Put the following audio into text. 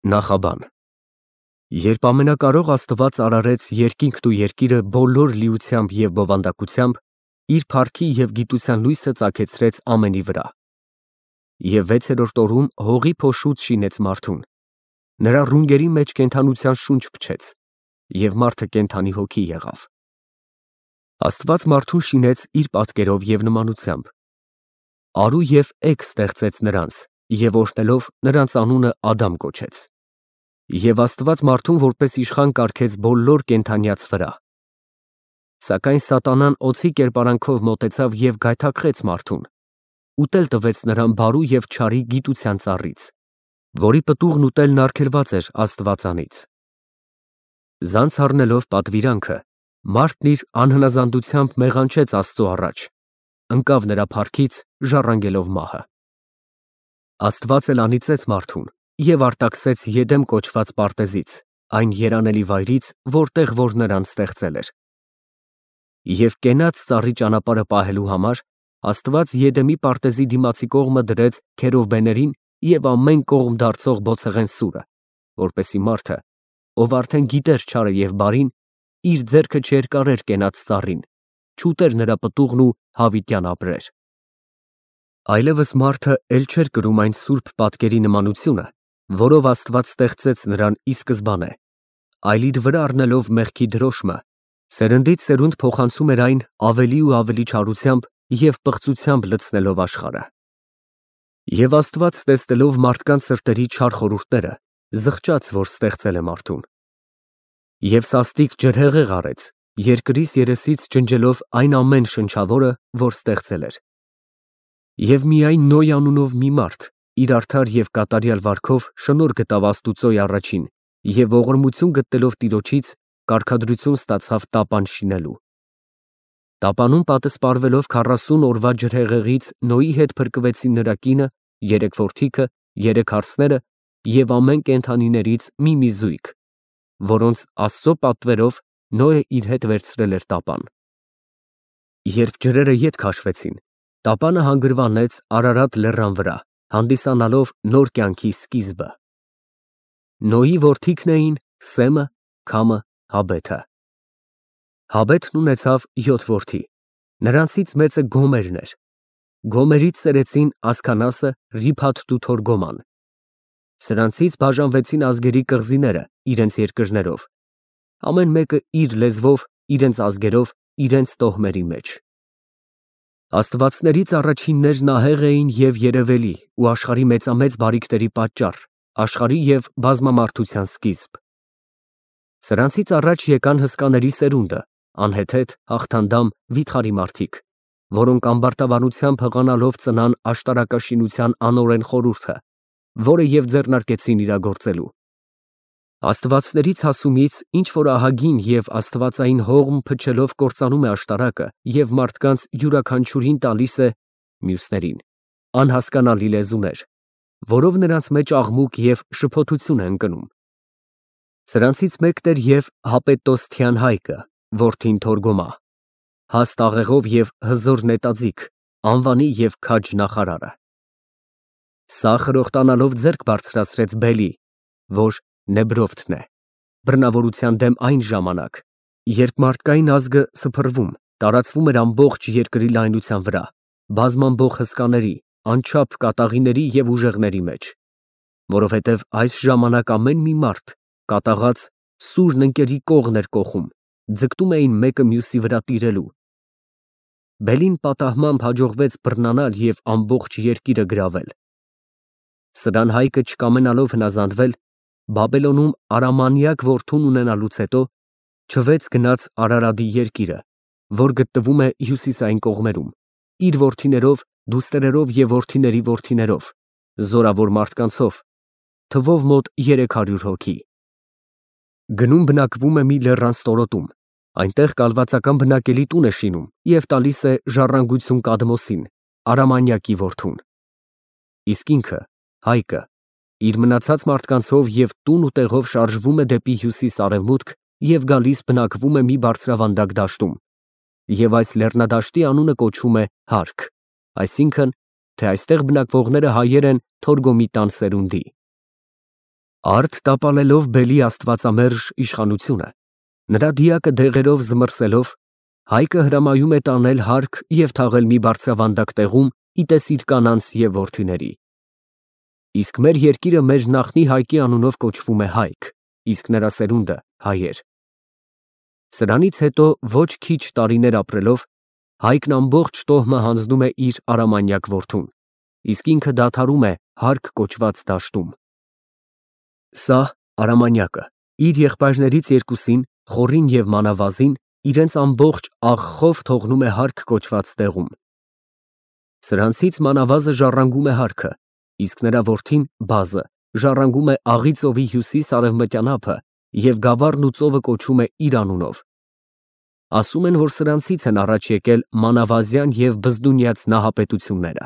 Նախաբան Երբ ամենակարող Աստված արարեց երկինքն ու երկիրը բոլոր լիությամբ և բովանդակությամբ, իր փառքի և գիտության լույսը ծագեցրեց ամենի վրա։ Եվ 6-րդ օրում հողի փոշուց շինեց մարդուն, նրա ռունգերի մեջ կենդանության շունչ փչեց, և մարդը կենդանի հոգի եղավ։ Աստված մարդուն շինեց իր պատկերով և նմանությամբ. արու և էգ ստեղծեց նրանց և օրհնելով նրանց անունը Ադամ կոչեց։ Եվ Աստված մարդուն որպես իշխան կարգեց բոլոր կենդանյաց վրա։ Սակայն սատանան օձի կերպարանքով մոտեցավ և գայթակղեց մարդուն, ուտել տվեց նրան բարու և չարի գիտության ծառից, որի պտուղն ուտելն արգելված էր Աստվածանից։ Ձանձ առնելով պատվիրանքը, մարդն իր անհնազանդությամբ մեղանչեց Աստծու առաջ, ընկավ նրա փառքից, ժառանգելով մահը։ Աստված էլ անիծեց մարդուն և արտաքսեց Եդեմ կոչված պարտեզից, այն երանելի վայրից, որտեղ որ նրան ստեղծել էր։ Եվ կենաց ծառի ճանապարհը պահելու համար Աստված Եդեմի պարտեզի դիմացի կողմը դրեց քերովբեներին և ամեն կողմ դարձող բոցեղեն սուրը, որպեսզի մարդը, ով արդեն գիտեր չարը և բարին, իր ձեռքը չերկարեր կենաց ծառին, չուտեր նրա պտուղն ու հավիտյան ապրեր։ Այլևս մարդը էլ չէր կրում այն սուրբ պատկերի նմանությունը, որով Աստված ստեղծեց նրան ի սկզբանե, այլ իր վրա առնելով մեղքի դրոշմը, սերնդից սերունդ փոխանցում էր այն ավելի ու ավելի չարությամբ և պղծությամբ լցնելով աշխարհը։ Եվ Աստված տեսնելով մարդկանց սրտերի չար խորհուրդները, զղջաց, որ ստեղծել է մարդուն։ Եվ սաստիկ ջրհեղեղ արեց, երկրից երեսից ջնջելով այն ամեն շնչավորը, որ ստեղծել էր։ Եվ միայն Նոյ անունով մի մարդ իր արդար և կատարյալ վարքով շնորհ գտավ Աստուծոյ առաջին և ողորմություն գտնելով Տիրոջից, կարգադրություն ստացավ տապան շինելու։ Տապանում պատսպարվելով 40 օրվա ջրհեղեղից Նոյի հետ փրկվեցին նրա կինը, 3 որդիքը, 3 հարսները և ամեն կենդանիներից մի զույգ, որոնց Աստծո պատվերով Նոյը իր հետ վերցրել էր տապան։ Երբ ջրերը ետ քաշվեցին, տապանը հանգրվանեց Արարատ լեռան վրա, հանդիսանալով նոր կյանքի սկիզբը։ Նոյի որդիքն էին Սեմը, Քամը, Հաբեթը։ Հաբեթն ունեցավ 7 որդի, նրանցից մեծը Գոմերն էր։ Գոմերից ծերեցին Ասքանասը, Ռիփաթն ու Թորգոման։ Սրանցից բաժանվեցին ազգերի կղզիները իրենց երկրներով, ամեն մեկը իր լեզվով, իրենց ազգերով, իրենց տոհմերի մեջ։ Աստվածներից առաջիններն ահեղ էին և երևելի ու աշխարհի մեծամեծ բարիքների պատճառ, աշխարհի և բազմամարդության սկիզբ։ Սրանցից առաջ եկան հսկաների սերունդը, անհեթեթ, հաղթանդամ, վիթխարի մարդիկ, որոնք ամբարտավանությամբ հղանալով ծնան աշտարակաշինության անօրեն խորհուրդը, որը և ձեռնարկեցին իրագործելու։ Աստվածներից հասումից ինչ որ ահագին և աստվածային հողմ փչելով կործանում է աշտարակը և մարդկանց յուրաքանչյուրին տալիս է (մյուսներին) անհասկանալի լեզուներ, որով նրանց մեջ աղմուկ և շփոթություն է ընկնում։ Սրանցից մեկն էր և Հապետոսթյան Հայկը, որդին Թորգոմա, հաստ աղեղով և հզոր նետաձիգ, անվանի և քաջ նախարարը։ Սա խրոխտանալով ձեռք բարձրացրեց Բելի, որ Նեբրովթն է, բռնավորության դեմ այն ժամանակ, երբ մարդկային ազգը սփռվում, տարածվում էր ամբողջ երկրի լայնության վրա, բազմամբող հսկաների, անչափ կատաղիների և ուժեղների մեջ, որովհետև այս ժամանակ ամեն մի մարդ, կատաղած, սուրն ընկերի կողն էր կոխում, ձգտում էին մեկը մյուսի վրա տիրելու։ Բելին պատահմամբ հաջողվեց բռնանալ և ամբողջ երկիրը գրավել։ Սրան Հայկը չկամենալով հնազանդվել, Բաբելոնում Արամանյակ որդուն ունենալուց հետո չվեց գնաց Արարադի երկիրը, որ գտնվում է հյուսիսային կողմերում, իր որդիներով, դուստրերով և որդիների որդիներով, զորավոր մարդկանցով, թվով մոտ 300 հոգի։ Գնում բնակվում է մի լեռան ստորոտում, այնտեղ կալվածական բնակելի տուն է շինում և տալիս է ժառանգություն Կադմոսին, Արամանյակի որդուն։ Իսկ ինքը, Հայկը, իր մնացած մարդկանցով և տուն ու տեղով շարժվում է դեպի հյուսիս֊արևմուտք և գալիս բնակվում է մի բարձրավանդակ դաշտում, և այս լեռնադաշտի անունը կոչվում է Հարք, այսինքն, թե այստեղ բնակվողները հայեր են Թորգոմի տան սերունդի։ Արդ տապալելով բելի աստվածամերժ իշխանությունը, նրա դիակը դեղերով զմռսելով, Հայկը հրամայում է տանել հարկ և թաղել մի բարձրավանդակ տեղում ի տեսիր կանանց և որդիների։ Իսկ մեր երկիրը մեր նախնի Հայկի անունով կոչվում է Հայք, իսկ նրա սերունդը հայեր։ Սրանից հետո ոչ քիչ տարիներ ապրելով, Հայկն ամբողջ տոհմը հանձնում է իր արամանյակ որդուն, իսկ ինքը դադարում է հարկ կոչված դաշտում։ Սա արամանյակը իր եղբայրներից երկուսին, Խորին և Մանավազին, իրենց ամբողջ աղխով թողնում է հարկ կոչված տեղում։ Սրանցից Մանավազը ժառանգում է հարքը, իսկ նրա որդին Բազը ժառանգում է Աղի ծովի հյուսիս֊արևմտյան ափը և գավառն ու ծովը կոչում է իր անունով։ Ասում են, որ սրանցից են առաջ եկել մանավազյան և բզդունյաց նահապետությունները։